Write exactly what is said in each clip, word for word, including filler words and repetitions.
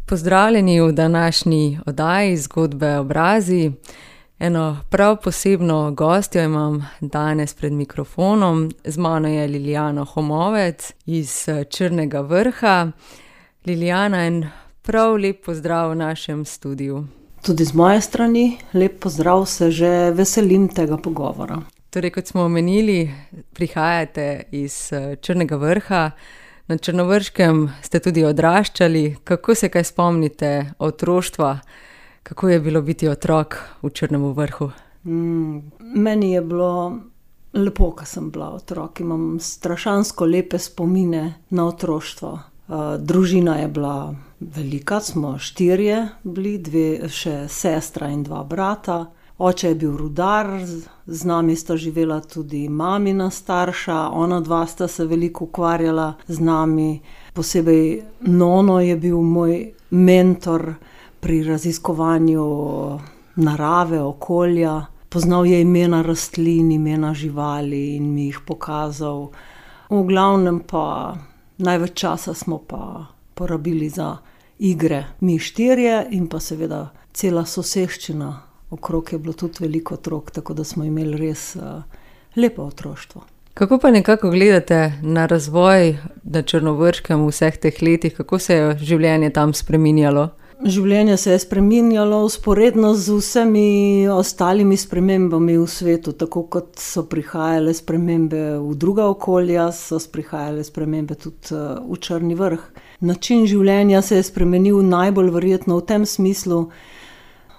Pozdravljeni v današnji oddaji Zgodbe obrazi. Eno prav posebno gostjo imam danes pred mikrofonom. Z mano je Lilijana Homovec iz Črnega vrha. Lilijana, en prav lep pozdrav v našem studiu. Tudi z moje strani lep pozdrav, se že veselim tega pogovora. Torej, kot smo omenili, prihajate iz Črnega vrha. Na Črnovrškem ste tudi odraščali. Kako se kaj spomnite otroštva? Kako je bilo biti otrok v Črnem vrhu? Mm, meni je bilo lepo, ko sem bila otrok. Imam strašansko lepe spomine na otroštvo. Uh, družina je bila velika, smo štirje bili, dve še sestra in dva brata. Oče je bil rudar, z nami sta živela tudi mamina starša, ona dva sta se veliko ukvarjala z nami. Posebej nono je bil moj mentor pri raziskovanju narave, okolja. Poznal je imena rastlin, imena živali in mi jih pokazal. V glavnem pa največ časa smo pa porabili za igre. Mi štirje in pa seveda cela soseščina. Okrog je bilo tudi veliko otrok, tako da smo imeli res uh, lepo otroštvo. Kako pa nekako gledate na razvoj na Črnovrškem v vseh teh letih? Kako se je življenje tam spreminjalo? Življenje se je spreminjalo vzporedno z vsemi ostalimi spremembami v svetu. Tako kot so prihajale spremembe v druga okolja, so prihajale spremembe tudi uh, v Črni vrh. Način življenja se je spremenil najbolj verjetno v tem smislu.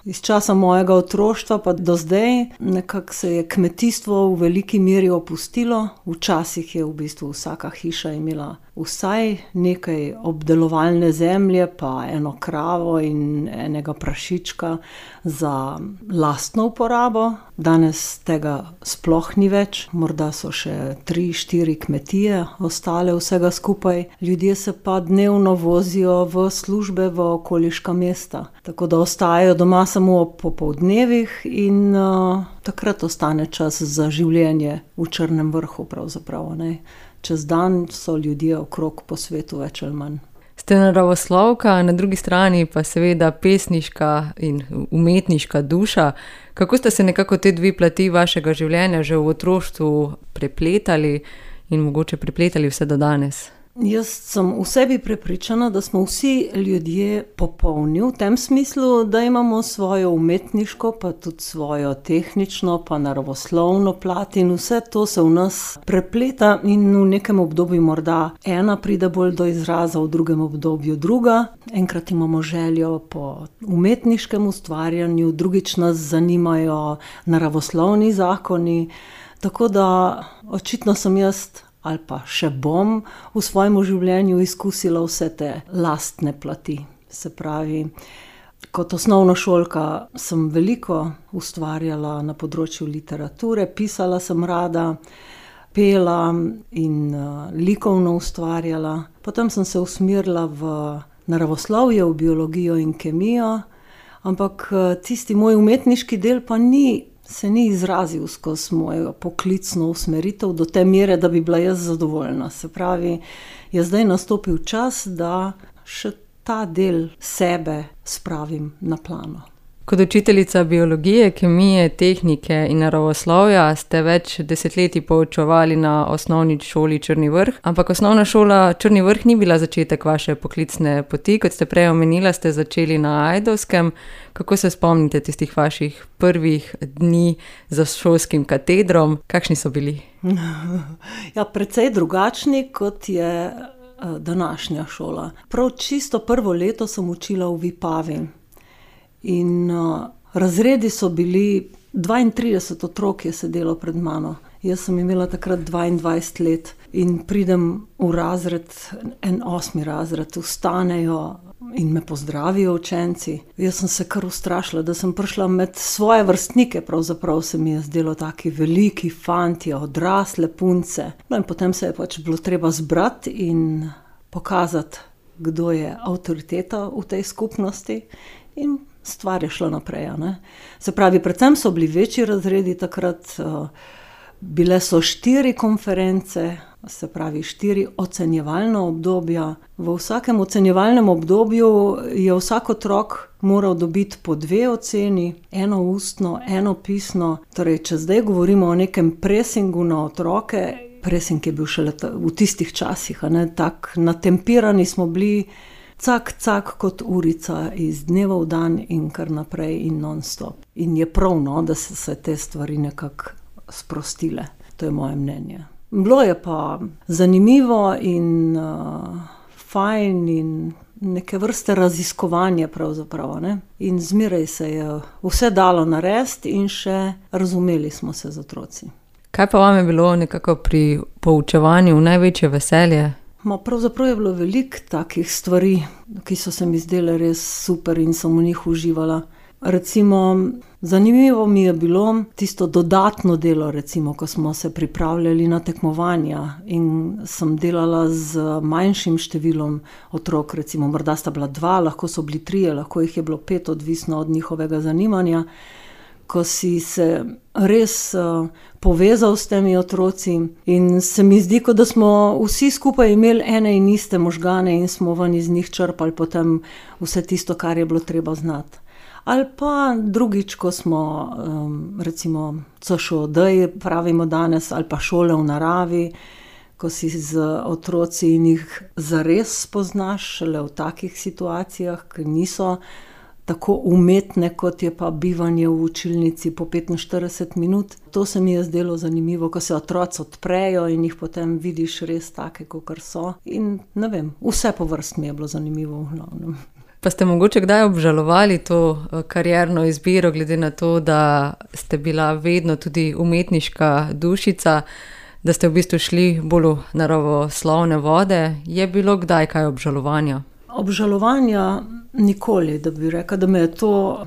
Iz časa mojega otroštva pa do zdaj nekako se je kmetijstvo v veliki meri opustilo. Včasih je v bistvu vsaka hiša imela vsaj nekaj obdelovalne zemlje, pa eno kravo in enega prašička za lastno uporabo. Danes tega sploh ni več, morda so še tri, štiri kmetije ostale vsega skupaj. Ljudje se pa dnevno vozijo v službe v okoliška mesta, tako da ostajajo doma samo ob popoldnevih in uh, takrat ostane čas za življenje v Črnem vrhu pravzaprav, ne. Čez dan so ljudje okrog po svetu več ali manj. Ste naravoslovka, na drugi strani pa seveda pesniška in umetniška duša. Kako ste se nekako te dve plati vašega življenja že v otroštvu prepletali in mogoče prepletali vse do danes? Jaz sem v sebi prepričana, da smo vsi ljudje popolni v tem smislu, da imamo svojo umetniško, pa tudi svojo tehnično, pa naravoslovno plat in vse to se v nas prepleta in v nekem obdobju morda ena pride bolj do izraza, v drugem obdobju druga. Enkrat imamo željo po umetniškem ustvarjanju, drugič nas zanimajo naravoslovni zakoni, tako da očitno sem jaz ali pa še bom v svojem življenju izkusila vse te lastne plati. Se pravi, kot osnovnošolka sem veliko ustvarjala na področju literature, pisala sem rada, pela in uh, likovno ustvarjala. Potem sem se usmerila v naravoslovje, v biologijo in kemijo, ampak uh, tisti moj umetniški del pa ni se ni izrazil skozi mojo poklicno usmeritev do te mere, da bi bila jaz zadovoljna. Se pravi, je zdaj nastopil čas, da še ta del sebe spravim na plano. Kot učiteljica biologije, kemije, tehnike in naravoslovja ste več desetletij poučevali na osnovni šoli Črni vrh, ampak osnovna šola Črni vrh ni bila začetek vaše poklicne poti, kot ste prej omenila, ste začeli na Ajdovskem. Kako se spomnite tistih vaših prvih dni za šolskim katedrom? Kakšni so bili? Ja, precej drugačni, kot je današnja šola. Prav čisto prvo leto sem učila v Vipavi. In uh, razredi so bili, dvaintrideset otrok je sedelo pred mano. Jaz sem imela takrat dvaindvajset let in pridem v razred, en osmi razred, vstanejo in me pozdravijo učenci. Jaz sem se kar ustrašila, da sem prišla med svoje vrstnike, pravzaprav se mi je zdelo taki veliki fantje, odrasle punce. No in potem se je pač bilo treba zbrati in pokazati, kdo je avtoriteta v tej skupnosti in stvar je šla naprej, ne. Se pravi, predvsem so bili večji razredi takrat, Bile so štiri konference, se pravi štiri ocenjevalna obdobja. V vsakem ocenjevalnem obdobju je vsak otrok moral dobiti po dve oceni, eno ustno, eno pisno. Torej, če zdaj govorimo o nekem presingu na otroke, presing je bil šele v tistih časih, a ne, tak natempirani smo bili, cak, cak kot urica iz dneva v dan in kar naprej in non-stop. In je prav, no, da so se te stvari nekako sprostile. To je moje mnenje. Bilo je pa zanimivo in uh, fajn in neke vrste raziskovanje pravzaprav, ne. In zmeraj se je vse dalo narediti in še razumeli smo se z otroci. Kaj pa vam je bilo nekako pri poučevanju največje veselje? Ma pravzaprav je bilo veliko takih stvari, ki so se mi zdele res super in sem v njih uživala. Recimo, zanimivo mi je bilo tisto dodatno delo, recimo, ko smo se pripravljali na tekmovanja in sem delala z manjšim številom otrok, recimo, morda sta bila dva, lahko so bili trije, lahko jih je bilo pet, odvisno od njihovega zanimanja. Ko si se res uh, povezal s temi otroci in se mi zdi, kot da smo vsi skupaj imeli ene in iste možgane in smo ven iz njih črpali potem vse tisto, kar je bilo treba znati. Ali pa drugič, ko smo um, recimo C Š O D pravimo danes, ali pa šole v naravi, ko si z otroci in jih zares spoznaš šele v takih situacijah, ki niso tako umetne, kot je pa bivanje v učilnici po petinštirideset minut. To se mi je zdelo zanimivo, ko se otroci odprejo in jih potem vidiš res take, kakor so. In ne vem, vse po vrst mi je bilo zanimivo v glavnem. Pa ste mogoče kdaj obžalovali to karierno izbiro, glede na to, da ste bila vedno tudi umetniška dušica, da ste v bistvu šli bolj v naravoslovne vode? Je bilo kdaj kaj obžalovanja? Obžalovanja nikoli, da bi rekla, da me je to,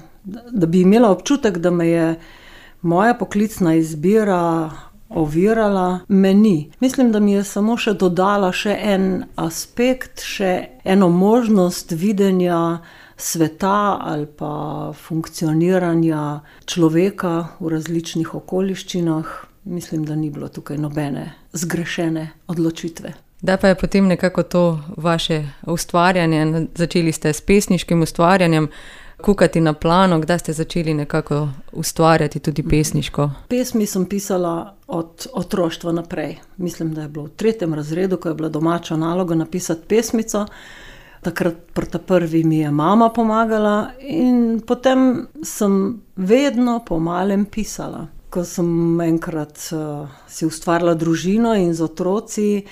da bi imela občutek, da me je moja poklicna izbira ovirala, me ni. Mislim, da mi je samo še dodala še en aspekt, še eno možnost videnja sveta ali pa funkcioniranja človeka v različnih okoliščinah. Mislim, da ni bilo tukaj nobene zgrešene odločitve. Da pa je potem nekako to vaše ustvarjanje, začeli ste s pesniškim ustvarjanjem, kukati na plano, kdaj ste začeli nekako ustvarjati tudi pesniško? Pesmi sem pisala od otroštva naprej. Mislim, da je bilo v tretjem razredu, ko je bila domača naloga napisati pesmico. Takrat pri ta prvi mi je mama pomagala in potem sem vedno po malem pisala. Ko sem enkrat uh, si ustvarila družino in z otroci,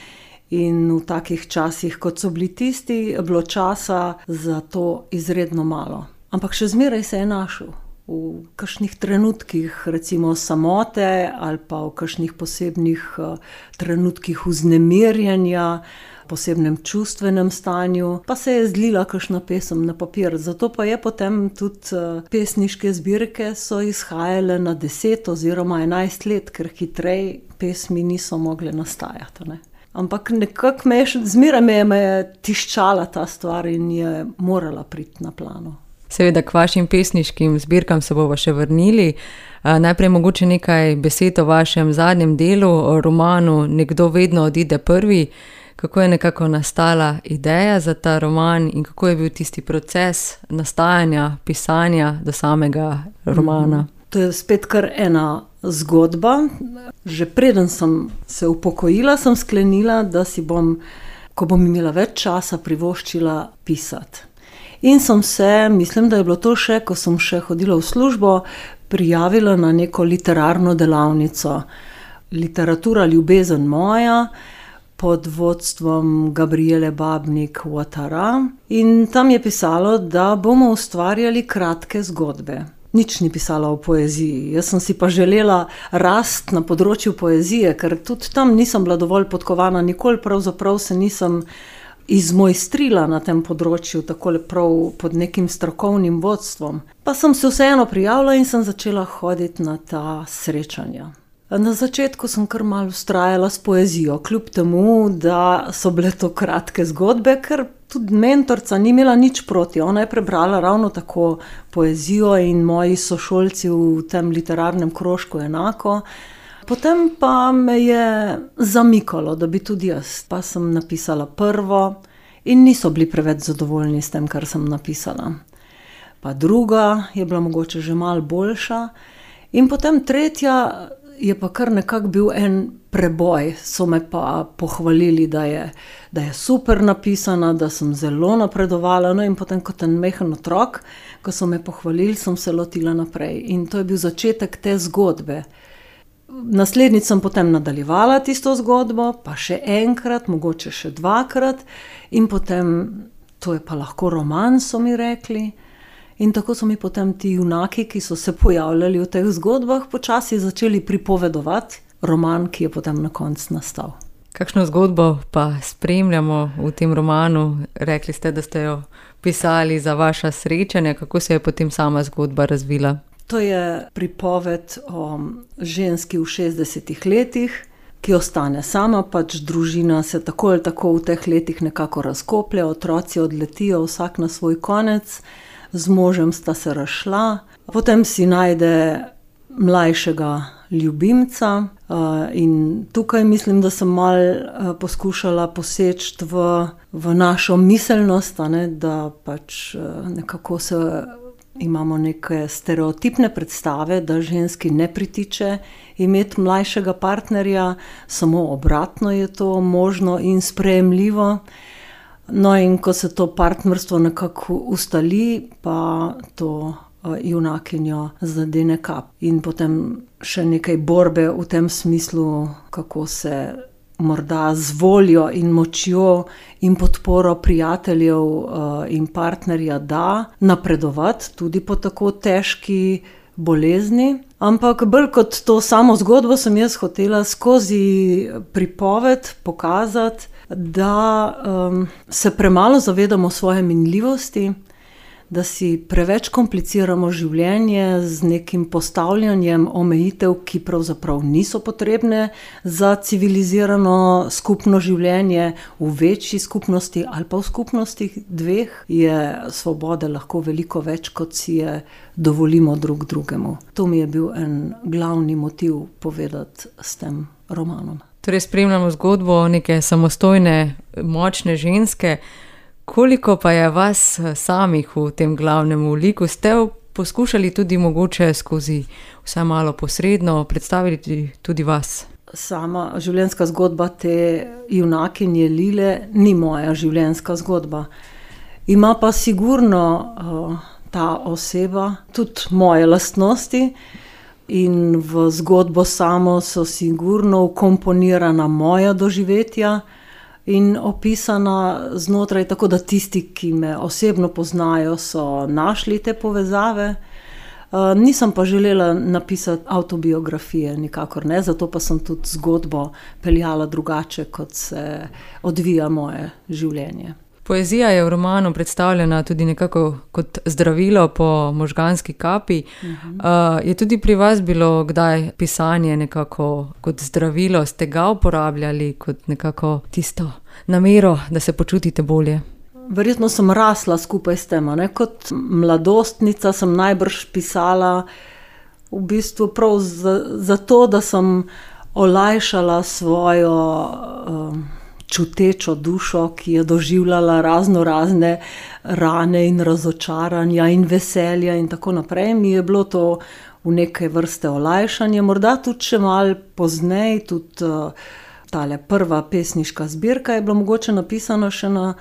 in v takih časih, kot so bili tisti, je bilo časa za to izredno malo. Ampak še zmeraj se je našel v kakšnih trenutkih, recimo samote ali pa v kakšnih posebnih uh, trenutkih vznemirjenja, posebnem čustvenem stanju, pa se je zlila kakšna pesem na papir. Zato pa je potem tudi uh, pesniške zbirke so izhajale na deset oziroma enajst let, ker hitrej pesmi niso mogle nastajati, ne. Ampak nekako me je, zmeraj me je, me je tiščala ta stvar in je morala priti na plano. Seveda k vašim pesniškim zbirkam se bomo še vrnili. Najprej mogoče nekaj besed o vašem zadnjem delu, o romanu Nekdo vedno odide prvi. Kako je nekako nastala ideja za ta roman in kako je bil tisti proces nastajanja, pisanja do samega romana? To je spet kar ena zgodba. Že preden sem se upokojila, sem sklenila, da si bom, ko bom imela več časa, privoščila pisati. In sem se, mislim, da je bilo to še, ko sem še hodila v službo, prijavila na neko literarno delavnico. Literatura ljubezen moja, pod vodstvom Gabriele Babnik-Ouattara. In tam je pisalo, da bomo ustvarjali kratke zgodbe. Nič ni pisala o poeziji. Jaz sem si pa želela rast na področju poezije, ker tudi tam nisem bila dovolj podkovana, nikoli pravzaprav se nisem izmojstrila na tem področju, takole prav pod nekim strokovnim vodstvom. Pa sem se vseeno prijavila in sem začela hoditi na ta srečanja. Na začetku sem kar malo vztrajala s poezijo, kljub temu, da so bile to kratke zgodbe, ker tudi mentorca ni imela nič proti. Ona je prebrala ravno tako poezijo in moji sošolci v tem literarnem krožku enako. Potem pa me je zamikalo, da bi tudi jaz. Pa sem napisala prvo in niso bili preveč zadovoljni s tem, kar sem napisala. Pa druga je bila mogoče že malo boljša. In potem tretja je pa kar nekako bil en preboj. So me pa pohvalili, da je, da je super napisana, da sem zelo napredovala. No in potem kot en mehen otrok, ko so me pohvalili, sem se lotila naprej. In to je bil začetek te zgodbe. Naslednjič sem potem nadaljevala tisto zgodbo, pa še enkrat, mogoče še dvakrat. In potem, to je pa lahko roman, so mi rekli. In tako so mi potem ti junaki, ki so se pojavljali v teh zgodbah, počasi začeli pripovedovati roman, ki je potem na koncu nastal. Kakšno zgodbo pa spremljamo v tem romanu? Rekli ste, da ste jo pisali za vaša srečanja. Kako se je potem sama zgodba razvila? To je pripoved o ženski v šestdesetih letih, ki ostane sama, pač družina se tako ali tako v teh letih nekako razkoplje, otroci odletijo vsak na svoj konec. Z možem sta se razšla, potem si najde mlajšega ljubimca in tukaj mislim, da sem malo poskušala poseči v, v našo miselnost, a ne, da pač nekako se imamo neke stereotipne predstave, da ženski ne pritiče imeti mlajšega partnerja, samo obratno je to možno in sprejemljivo. No, in ko se to partnerstvo nekako ustali, pa to junakinjo zadene kap. In potem še nekaj borbe v tem smislu, kako se morda z voljo in močjo in podporo prijateljev in partnerja da napredovati tudi po tako težki bolezni. Ampak bolj kot to samo zgodbo sem jaz hotela skozi pripoved pokazati, da um, se premalo zavedamo svoje minljivosti, da si preveč kompliciramo življenje z nekim postavljanjem omejitev, ki pravzaprav niso potrebne za civilizirano skupno življenje. V večji skupnosti ali pa v skupnosti dveh je svobode lahko veliko več, kot si je dovolimo drug drugemu. To mi je bil en glavni motiv povedati s tem romanom. Torej spremljamo zgodbo neke samostojne, močne ženske. Koliko pa je vas samih v tem glavnem liku? Ste poskušali tudi mogoče skozi vsaj malo posredno predstaviti tudi vas? Sama življenjska zgodba te junakinje Lile ni moja življenjska zgodba. Ima pa sigurno uh, ta oseba tudi moje lastnosti in v zgodbo samo so sigurno vkomponirana moja doživetja in opisana znotraj, tako da tisti, ki me osebno poznajo, so našli te povezave. Uh, nisem pa želela napisati avtobiografije, nikakor ne, zato pa sem tudi zgodbo peljala drugače, kot se odvija moje življenje. Poezija je v romanu predstavljena tudi nekako kot zdravilo po možganski kapi. Uh-huh. Uh, je tudi pri vas bilo kdaj pisanje nekako kot zdravilo? Ste ga uporabljali kot nekako tisto namero, da se počutite bolje? Verjetno sem rasla skupaj s tem, ne? Kot mladostnica sem najbrž pisala v bistvu prav zato, za da sem olajšala svojo um, čutečo dušo, ki je doživljala razno razne rane in razočaranja in veselja in tako naprej. Mi je bilo to v neke vrste olajšanje, morda tudi še malo pozneje, tudi uh, tale prva pesniška zbirka je bila mogoče napisana še na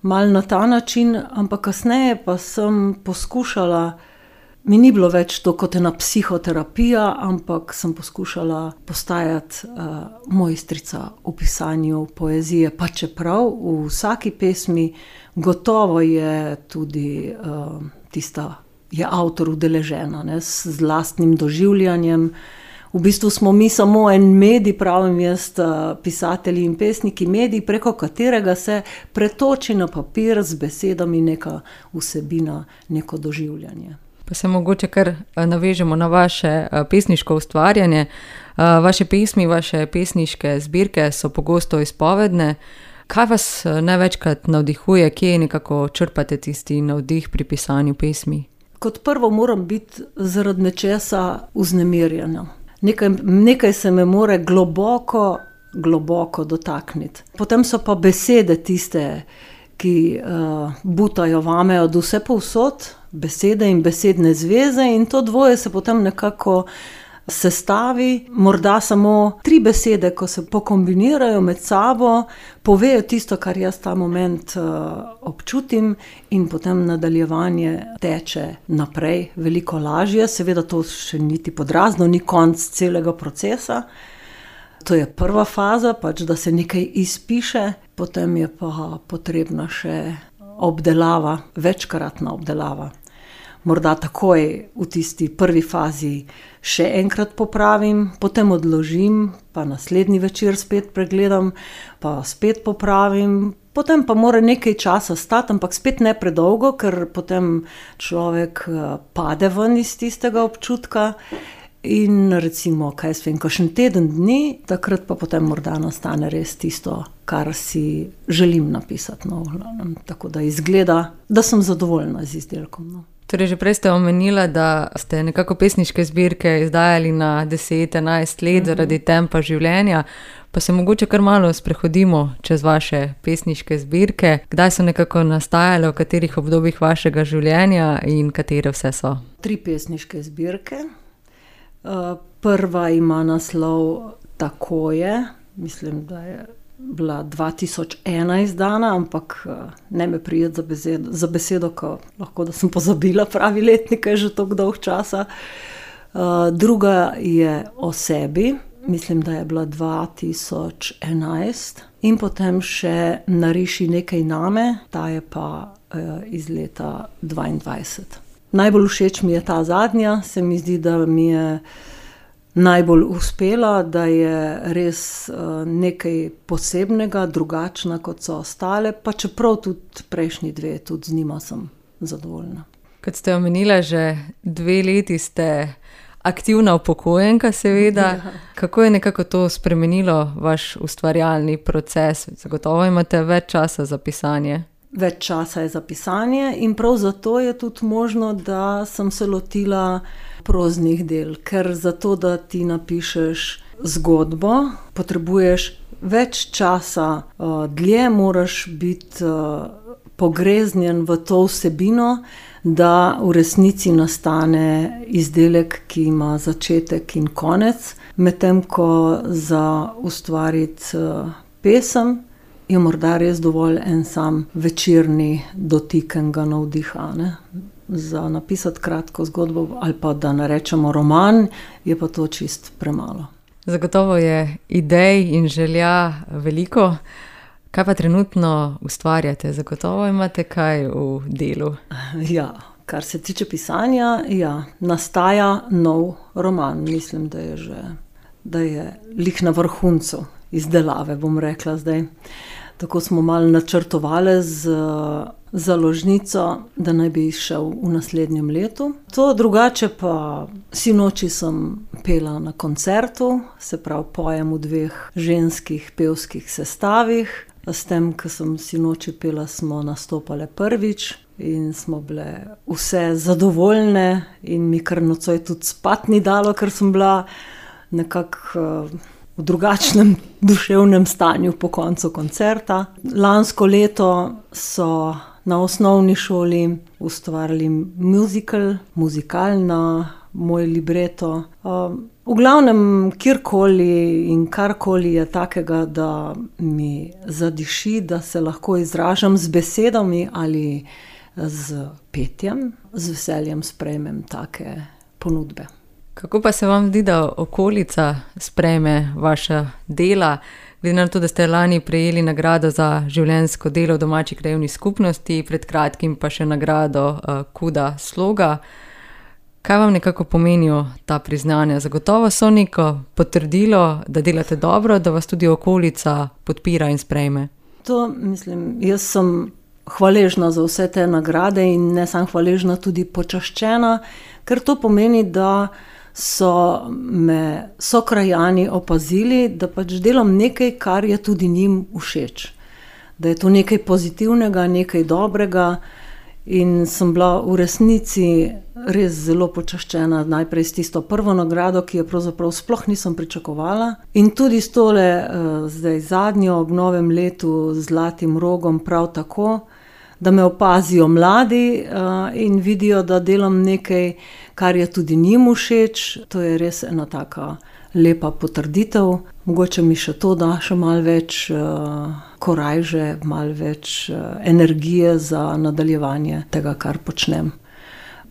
malo na ta način, ampak kasneje pa sem poskušala, mi ni bilo več to kot ena psihoterapija, ampak sem poskušala postajati uh, mojstrica v pisanju poezije, pa čeprav v vsaki pesmi gotovo je tudi uh, tista, je avtor udeležena, ne, z lastnim doživljanjem. V bistvu smo mi samo en medij, pravim jaz, pisatelji in pesniki, medij, preko katerega se pretoči na papir z besedami neka vsebina, neko doživljanje. Pa se mogoče kar navežemo na vaše pesniško ustvarjanje. Vaše pesmi, vaše pesniške zbirke so pogosto izpovedne. Kaj vas največkrat navdihuje, kje nekako črpate tisti navdih pri pisanju pesmi? Kot prvo moram biti zaradi nečesa vznemirjena. Nekaj, nekaj se me more globoko, globoko dotakniti. Potem so pa besede tiste, ki uh, butajo vame od vse povsod, besede in besedne zveze, in to dvoje se potem nekako sestavi. Morda samo tri besede, ko se pokombinirajo med sabo, povejo tisto, kar jaz ta moment uh, občutim, in potem nadaljevanje teče naprej veliko lažje. Seveda to še niti podrazno, ni konec celega procesa. To je prva faza, pač da se nekaj izpiše, potem je pa potrebna še obdelava, večkratna obdelava. Morda takoj v tisti prvi fazi še enkrat popravim, potem odložim, pa naslednji večer spet pregledam, pa spet popravim, potem pa mora nekaj časa stati, ampak spet ne predolgo, ker potem človek pade ven iz tistega občutka. In recimo, kaj jaz vem, kakšen teden dni, takrat pa potem morda nastane res tisto, kar si želim napisati. No, tako da izgleda, da sem zadovoljna z izdelkom. No. Torej, že prej ste omenila, da ste nekako pesniške zbirke izdajali na deset, enajst let mm-hmm. zaradi tempa življenja, pa se mogoče kar malo sprehodimo čez vaše pesniške zbirke. Kdaj so nekako nastajale, v katerih obdobjih vašega življenja in katere vse so? Tri pesniške zbirke. Prva ima naslov Tako je, mislim, da je bila dva tisoč ena izdana, ampak ne me prijeti za besedo, za besedo, ko lahko da sem pozabila pravi letnik, je že toliko dolg časa. Druga je O sebi, mislim, da je bila dva tisoč enajst, in potem še Nariši nekaj name, ta je pa iz leta dvaindvajset. Najbolj všeč mi je ta zadnja, se mi zdi, da mi je najbolj uspela, da je res nekaj posebnega, drugačna kot so ostale, pa čeprav tudi prejšnji dve, tudi z njima sem zadovoljna. Kot ste omenila, že dve leti ste aktivna upokojenka, seveda. Ja. Kako je nekako to spremenilo vaš ustvarjalni proces? Zagotovo imate več časa za pisanje. Več časa je za pisanje in prav zato je tudi možno, da sem se lotila proznih del, ker zato, da ti napišeš zgodbo, potrebuješ več časa, dlje moraš biti pogreznjen v to vsebino, da v resnici nastane izdelek, ki ima začetek in konec, medtem ko za ustvariti pesem je morda res dovolj en sam večerni dotik enega navdiha, ne? Za napisati kratko zgodbo ali pa da narečemo roman, je pa to čist premalo. Zagotovo je idej in želja veliko. Kaj pa trenutno ustvarjate? Zagotovo imate kaj v delu? Ja, kar se tiče pisanja, ja, nastaja nov roman. Mislim, da je že, da je lik na vrhuncu izdelave, bom rekla zdaj. Tako smo malo načrtovali z založnico, da naj bi izšel v naslednjem letu. To drugače pa sinoči sem pela na koncertu, se pravi pojem v dveh ženskih pevskih sestavih. S tem, ko sem sinoči pela, smo nastopale prvič in smo bile vse zadovoljne in mi kar nocoj tudi spat ni dalo, ker sem bila nekako v drugačnem duševnem stanju po koncu koncerta. Lansko leto so na osnovni šoli ustvarili muzikal, muzikal na moj libreto. V glavnem, kjerkoli in karkoli je takega, da mi zadiši, da se lahko izražam z besedami ali z petjem, z veseljem sprejmem take ponudbe. Kako pa se vam zdi, da okolica sprejme vaša dela? Glede na to, da ste lani prejeli nagrado za življenjsko delo v domači krajevni skupnosti, pred kratkim pa še nagrado uh, Kuda sloga. Kaj vam nekako pomenijo ta priznanja? Zagotovo so neko potrdilo, da delate dobro, da vas tudi okolica podpira in sprejme. To mislim, jaz sem hvaležna za vse te nagrade in ne sem hvaležna, tudi počaščena, ker to pomeni, da so me sokrajani opazili, da pač delam nekaj, kar je tudi njim všeč. Da je to nekaj pozitivnega, nekaj dobrega in sem bila v resnici res zelo počaščena najprej s tisto prvo nagrado, ki jo pravzaprav sploh nisem pričakovala. In tudi s tole zdaj zadnjo ob novem letu z Zlatim rogom prav tako, da me opazijo mladi in vidijo, da delam nekaj, kar je tudi njim všeč. To je res ena taka lepa potrditev. Mogoče mi še to da še malo več korajže, malo več energije za nadaljevanje tega, kar počnem.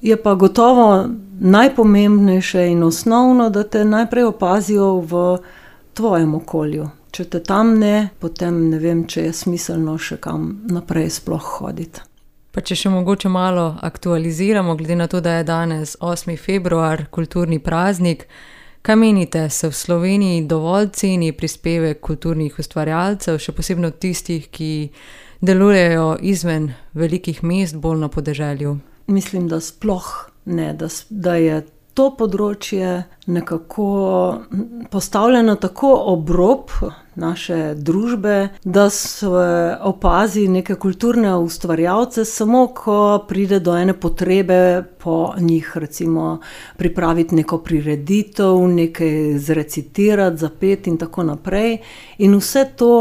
Je pa gotovo najpomembnejše in osnovno, da te najprej opazijo v tvojem okolju. Če te tam ne, potem ne vem, če je smiselno še kam naprej sploh hoditi. Pa če še mogoče malo aktualiziramo, glede na to, da je danes osmi februar, kulturni praznik, kaj menite, se v Sloveniji dovolj ceni prispevek kulturnih ustvarjalcev, še posebno tistih, ki delujejo izven velikih mest, bolj na podeželju? Mislim, da sploh ne, da, da je to področje nekako postavljeno tako ob rob naše družbe, da se opazi neke kulturne ustvarjalce samo, ko pride do ene potrebe po njih, recimo pripraviti neko prireditev, nekaj zrecitirati, zapeti in tako naprej. In vse to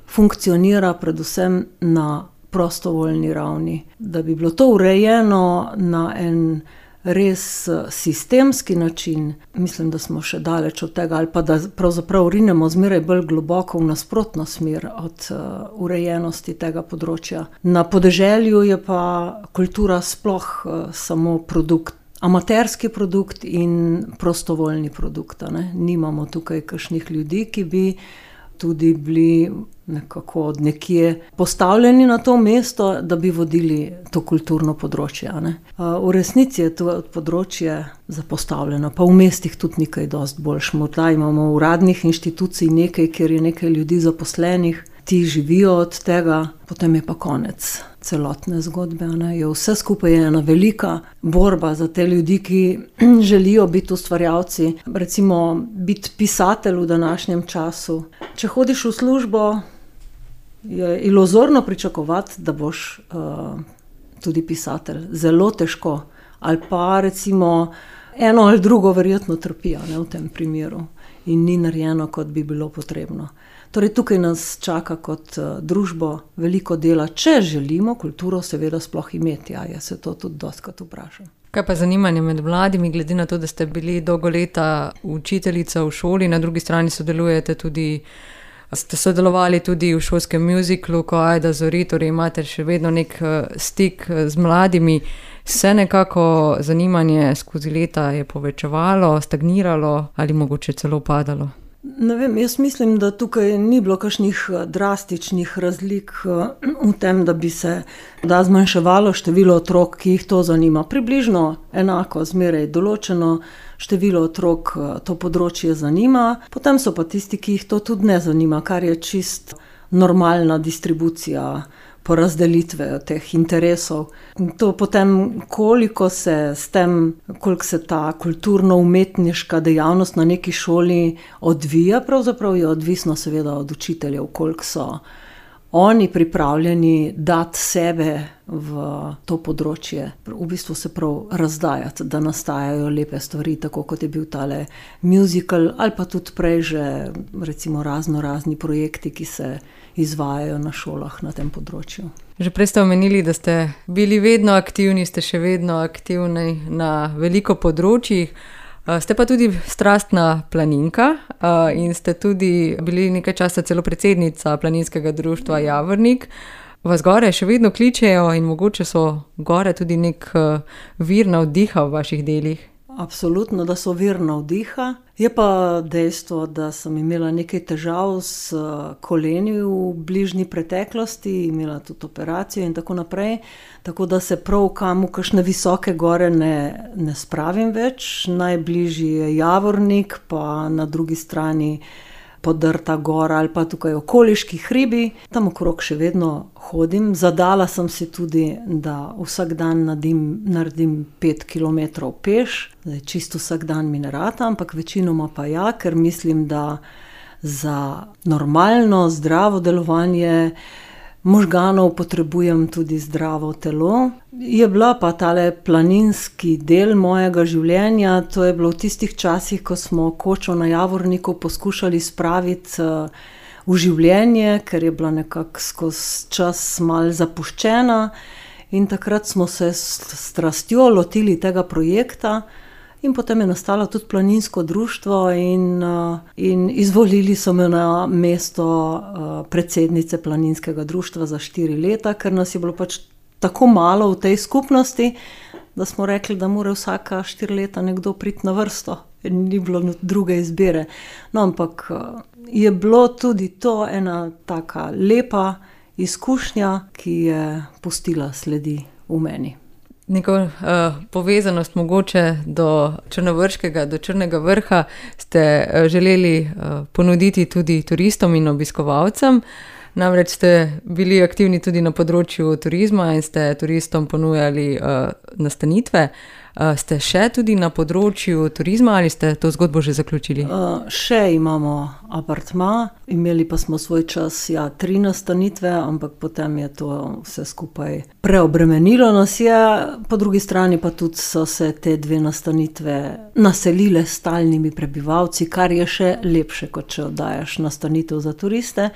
funkcionira predvsem na prostovoljni ravni. Da bi bilo to urejeno na en res sistemski način, mislim, da smo še daleč od tega, ali pa da pravzaprav rinemo zmeraj bolj globoko v nasprotno smer od uh, urejenosti tega področja. Na podeželju je pa kultura sploh uh, samo produkt, amaterski produkt in prostovoljni produkt. Ne? Nimamo tukaj kakšnih ljudi, ki bi tudi bili nekako od nekje postavljeni na to mesto, da bi vodili to kulturno področje. Ne? V resnici je to področje zapostavljeno, pa v mestih tudi nekaj dosti boljš. Morda imamo uradnih inštitucij nekaj, kjer je nekaj ljudi zaposlenih, ti živijo od tega, potem je pa konec celotne zgodbe. Ne? Je vse skupaj je ena velika borba za te ljudi, ki želijo biti ustvarjalci. Recimo biti pisatelj v današnjem času. Če hodiš v službo, je iluzorno pričakovati, da boš uh, tudi pisatelj. Zelo težko. Ali pa recimo eno ali drugo verjetno trpijo, ne, v tem primeru. In ni narejeno, kot bi bilo potrebno. Torej tukaj nas čaka kot uh, družbo veliko dela, če želimo kulturo seveda sploh imeti. Ja, jaz se to tudi dostikrat vprašam. Kaj pa zanimanje med mladimi, glede na to, da ste bili dolgo leta učiteljica v šoli, na drugi strani sodelujete tudi Ste sodelovali tudi v šolskem muziklu, ko Ajda zori, torej imate še vedno nek stik z mladimi. Se nekako zanimanje skozi leta je povečevalo, stagniralo ali mogoče celo padalo? Ne vem, jaz mislim, da tukaj ni bilo kakšnih drastičnih razlik v tem, da bi se da zmanjševalo število otrok, ki jih to zanima. Približno enako, zmeraj določeno število otrok to področje zanima, potem so pa tisti, ki jih to tudi ne zanima, kar je čist normalna distribucija porazdelitve teh interesov. To potem, koliko se s tem, koliko se ta kulturno-umetniška dejavnost na neki šoli odvija, pravzaprav je odvisno seveda od učiteljev, koliko so oni pripravljeni dati sebe v to področje, v bistvu se prav razdajati, da nastajajo lepe stvari, tako kot je bil tale musical, ali pa tudi prej že recimo razno razni projekti, ki se izvajajo na šolah na tem področju. Že prej ste omenili, da ste bili vedno aktivni, ste še vedno aktivni na veliko področjih. Ste pa tudi strastna planinka in ste tudi bili nekaj časa celo predsednica planinskega društva Javornik. Vas gore še vedno kličejo in mogoče so gore tudi nek vir navdiha v vaših delih? Absolutno, da so vir navdiha. Je pa dejstvo, da sem imela nekaj težav s koleni v bližnji preteklosti, imela tudi operacijo in tako naprej, tako da se prav kam v kakšne visoke gore ne, ne spravim več. Najbližji je Javornik, pa na drugi strani Podrta gora ali pa tukaj okoliški hribi. Tam okrog še vedno hodim. Zadala sem si tudi, da vsak dan naredim, naredim pet kilometrov peš. Zdaj, čisto vsak dan mi ne rata, ampak večinoma pa ja, ker mislim, da za normalno, zdravo delovanje možganov, potrebujem tudi zdravo telo. Je bila pa tale planinski del mojega življenja, to je bilo v tistih časih, ko smo kočo na Javorniku poskušali spraviti v življenje, ker je bila nekako skozi čas malo zapuščena, in takrat smo se s strastjo lotili tega projekta. In potem je nastalo tudi planinsko društvo in, in izvolili so me na mesto predsednice planinskega društva za štiri leta, ker nas je bilo pač tako malo v tej skupnosti, da smo rekli, da mora vsaka štiri leta nekdo priti na vrsto. Ni bilo druge izbire. No, ampak je bilo tudi to ena taka lepa izkušnja, ki je pustila sledi v meni. Neko uh, povezanost mogoče do Črnovrškega, do Črnega vrha ste uh, želeli uh, ponuditi tudi turistom in obiskovalcem. Namreč ste bili aktivni tudi na področju turizma in ste turistom ponujali uh, nastanitve. Uh, ste še tudi na področju turizma ali ste to zgodbo že zaključili? Uh, še imamo apartma, imeli pa smo svoj čas, ja, tri nastanitve, ampak potem je to vse skupaj preobremenilo nas je. Po drugi strani pa tudi so se te dve nastanitve naselile s stalnimi prebivalci, kar je še lepše, kot če oddajaš nastanitev za turiste.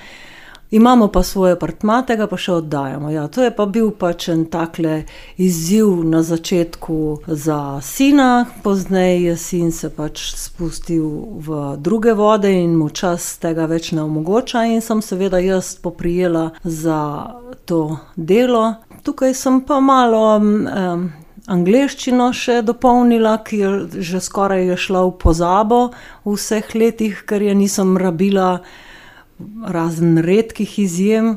Imamo pa svoj apartma, tega pa še oddajamo. Ja, to je pa bil pač en takle izziv na začetku za sina, pozneje je sin se pač spustil v druge vode in mu čas tega več ne omogoča in sem seveda jaz poprijela za to delo. Tukaj sem pa malo um, angleščino še dopolnila, ki je že skoraj je šla v pozabo v vseh letih, ker je nisem rabila razen redkih izjem.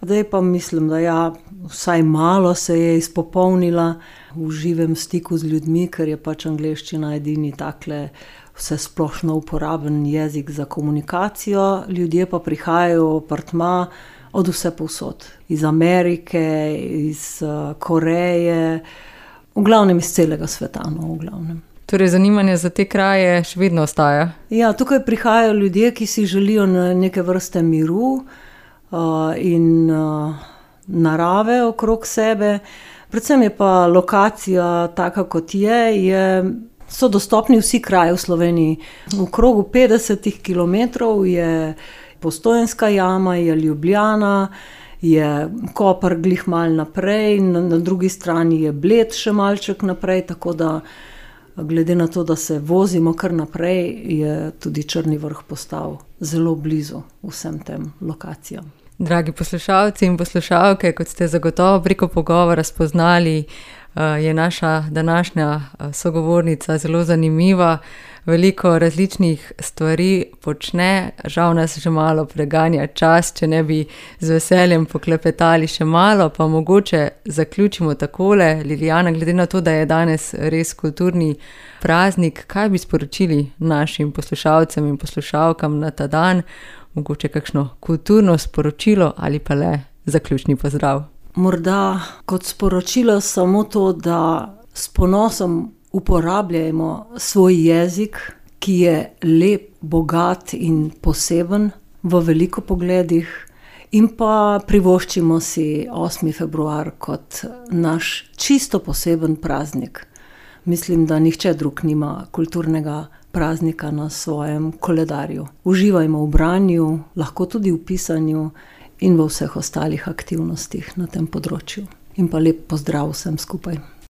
Zdaj pa mislim, da ja, vsaj malo se je izpopolnila v živem stiku z ljudmi, ker je pač angleščina edini takle vse splošno uporaben jezik za komunikacijo. Ljudje pa prihajajo v apartma od vse povsod. Iz Amerike, iz uh, Koreje, v glavnem iz celega sveta, no, v glavnem. Torej, zanimanje za te kraje še vedno ostaja? Ja, tukaj prihajajo ljudje, ki si želijo neke vrste miru uh, in uh, narave okrog sebe. Predvsem je pa lokacija taka, kot je, je, so dostopni vsi kraji v Sloveniji. V krogu petdeset kilometrov je Postojnska jama, je Ljubljana, je Koper glih malo naprej, na, na drugi strani je Bled še malček naprej, tako da glede na to, da se vozimo kar naprej, je tudi Črni vrh postal zelo blizu vsem tem lokacijam. Dragi poslušalci in poslušalke, kot ste zagotovo preko pogovora spoznali, je naša današnja sogovornica zelo zanimiva. Veliko različnih stvari počne, žal nas že malo preganja čas, če ne bi z veseljem poklepetali še malo, pa mogoče zaključimo takole. Lilijana, glede na to, da je danes res kulturni praznik, kaj bi sporočili našim poslušalcem in poslušalkam na ta dan? Mogoče kakšno kulturno sporočilo ali pa le zaključni pozdrav? Morda kot sporočilo samo to, da s ponosom uporabljajmo svoj jezik, ki je lep, bogat in poseben v veliko pogledih, in pa privoščimo si osmi februar kot naš čisto poseben praznik. Mislim, da nihče drug nima kulturnega praznika na svojem koledarju. Uživajmo v branju, lahko tudi v pisanju in v vseh ostalih aktivnostih na tem področju. In pa lep pozdrav vsem skupaj.